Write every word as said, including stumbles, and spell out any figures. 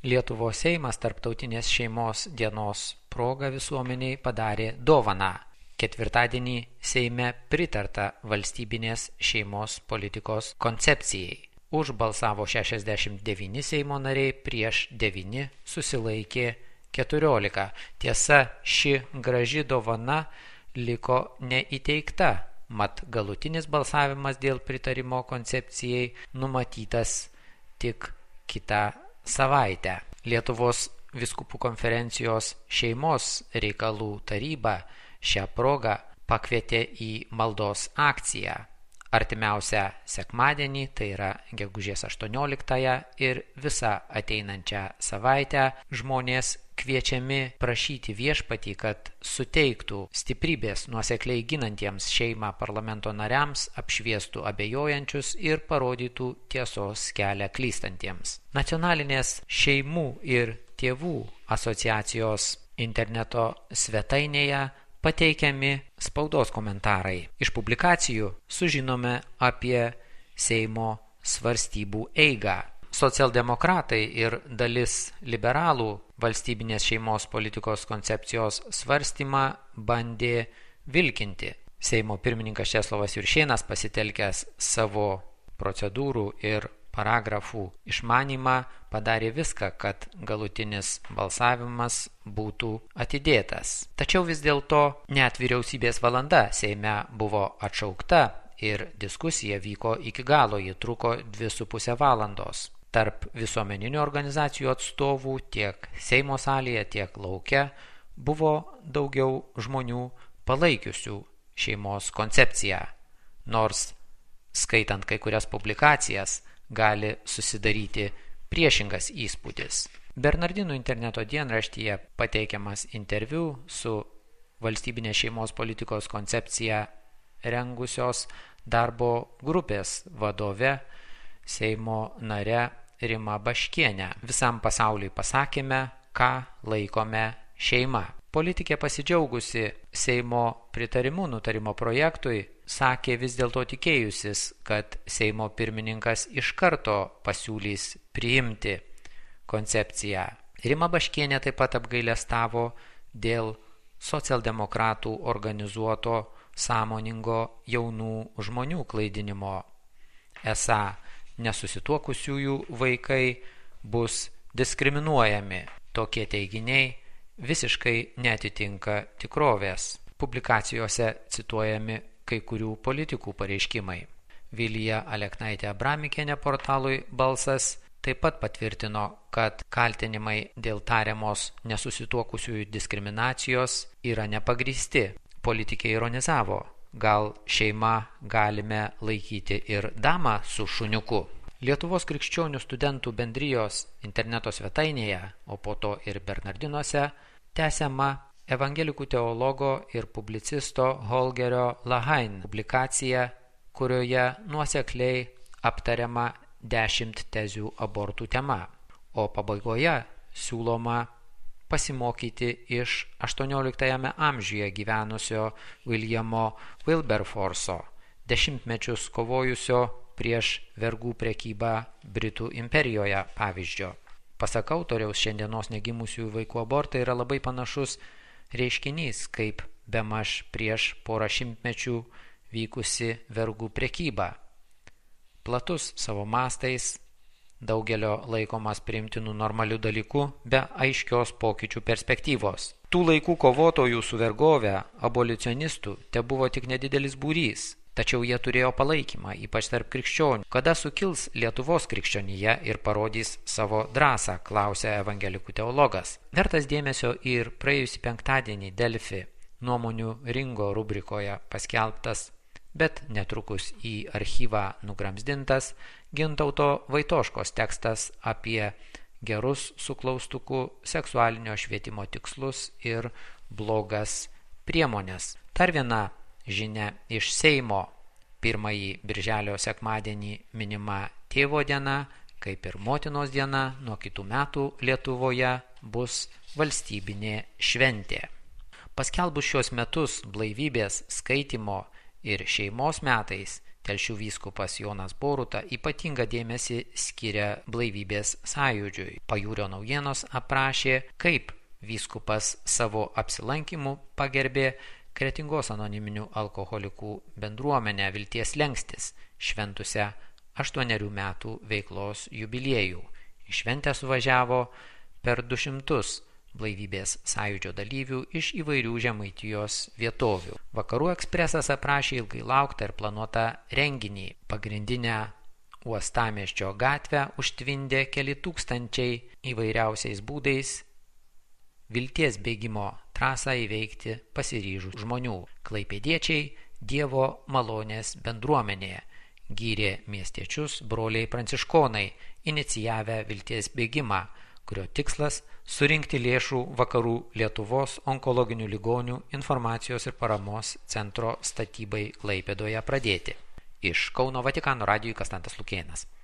Lietuvos Seimas Tarptautinės šeimos dienos proga visuomeniai padarė dovaną. Ketvirtadienį Seime pritarta valstybinės šeimos politikos koncepcijai. Už balsavo šešiasdešimt devyni Seimo nariai, prieš devyni susilaikė keturiolika. Tiesa, ši graži dovana liko neįteikta, mat galutinis balsavimas dėl pritarimo koncepcijai numatytas tik kitą savaitę. Lietuvos vyskupų konferencijos šeimos reikalų taryba šią progą pakvietė į maldos akciją. Artimiausią sekmadienį, tai yra gegužės aštuonioliktąją ir visą ateinančią savaitę žmonės kviečiami prašyti viešpatį, kad suteiktų stiprybės nuosekliai ginantiems šeimą parlamento nariams, apšviestų abejojančius ir parodytų tiesos kelią klystantiems. Nacionalinės šeimų ir tėvų asociacijos interneto svetainėje pateikiami spaudos komentarai. Iš publikacijų sužinome apie Seimo svarstybų eigą. Socialdemokratai ir dalis liberalų valstybinės šeimos politikos koncepcijos svarstymą bandė vilkinti. Seimo pirmininkas Česlovas Juršėnas, pasitelkęs savo procedūrų ir paragrafų išmanymą, padarė viską, kad galutinis balsavimas būtų atidėtas. Tačiau vis dėlto net vyriausybės valanda Seime buvo atšaukta ir diskusija vyko iki galo, ji truko dvi su pusę valandos. Tarp visuomeninių organizacijų atstovų tiek Seimo salėje, tiek lauke buvo daugiau žmonių palaikiusių šeimos koncepciją, nors skaitant kai kurias publikacijas gali susidaryti priešingas įspūdis. Bernardinų interneto dienraštyje pateikiamas interviu su valstybinės šeimos politikos koncepciją rengusios darbo grupės vadove, Seimo nare Rima Baškienė. Visam pasauliui pasakėme, ką laikome šeima. Politikė, pasidžiaugusi Seimo pritarimu nutarimo projektui, sakė vis dėlto tikėjusis, kad Seimo pirmininkas iš karto pasiūlys priimti koncepciją. Rima Baškienė taip pat apgailestavo dėl socialdemokratų organizuoto sąmoningo jaunų žmonių klaidinimo. Esą nesusituokusiųjų vaikai bus diskriminuojami. Tokie teiginiai visiškai neatitinka tikrovės. Publikacijose cituojami kai kurių politikų pareiškimai. Vilija Aleknaitė Abramikienė portalui Balsas taip pat patvirtino, kad kaltinimai dėl tariamos nesusituokusiųjų diskriminacijos yra nepagrįsti. Politikė ironizavo, gal šeima galime laikyti ir damą su šuniuku. Lietuvos krikščionių studentų bendrijos interneto svetainėje, o po to ir Bernardinuose, tęsiama evangelikų teologo ir publicisto Holgerio Lahain publikacija, kurioje nuosekliai aptariama dešimt tezių abortų tema, o pabaigoje siūloma pasimokyti iš aštuonioliktajame amžiuje gyvenusio Williamo Wilberforso, dešimtmečius kovojusio prieš vergų prekybą Britų imperijoje pavyzdžio. Pasak autoriaus, šiandienos negimusių vaikų abortai yra labai panašus reiškinys, kaip bemaž prieš porą šimtmečių vykusi vergų prekyba. Platus savo mastais, daugelio laikomas priimtinų normalių dalykų be aiškios pokyčių perspektyvos. Tų laikų kovotojų su vergove, abolicionistų, te buvo tik nedidelis būrys. Tačiau jie turėjo palaikymą, ypač tarp krikščionių. Kada sukils Lietuvos krikščionija ir parodys savo drąsą, klausė evangelikų teologas. Vertas dėmesio ir praėjusį penktadienį Delfi nuomonių ringo rubrikoje paskelbtas, bet netrukus į archyvą nugramzdintas Gintauto Vaitoškos tekstas apie gerus su klaustuku seksualinio švietimo tikslus ir blogas priemonės. Dar viena žinia iš Seimo. Pirmąjį birželio sekmadienį minima tėvo diena, kaip ir motinos diena, nuo kitų metų Lietuvoje bus valstybinė šventė. Paskelbus šios metus blaivybės, skaitymo ir šeimos metais, Telšių vyskupas Jonas Boruta ypatingą dėmesį skiria blaivybės sąjūdžiui. Pajūrio naujienos aprašė, kaip vyskupas savo apsilankimu pagerbė Kretingos anoniminių alkoholikų bendruomenę Vilties Lengstis, šventusią aštuonerių metų veiklos jubiliejų. Į šventę suvažiavo per du šimtus blaivybės sąjūdžio dalyvių iš įvairių Žemaitijos vietovių. Vakarų ekspresas aprašė ilgai lauktą ir planuotą renginį. Pagrindinę Uostamiesčio gatvę užtvindė keli tūkstančiai įvairiausiais būdais Vilties bėgimo trasą įveikti pasiryžų žmonių. Klaipėdiečiai Dievo malonės bendruomenėje gyrė miestiečius broliai pranciškonai, inicijavę Vilties bėgimą, kurio tikslas surinkti lėšų Vakarų Lietuvos onkologinių ligonių informacijos ir paramos centro statybai Klaipėdoje pradėti. Iš Kauno Vatikano radijui Kastantas Lukėnas.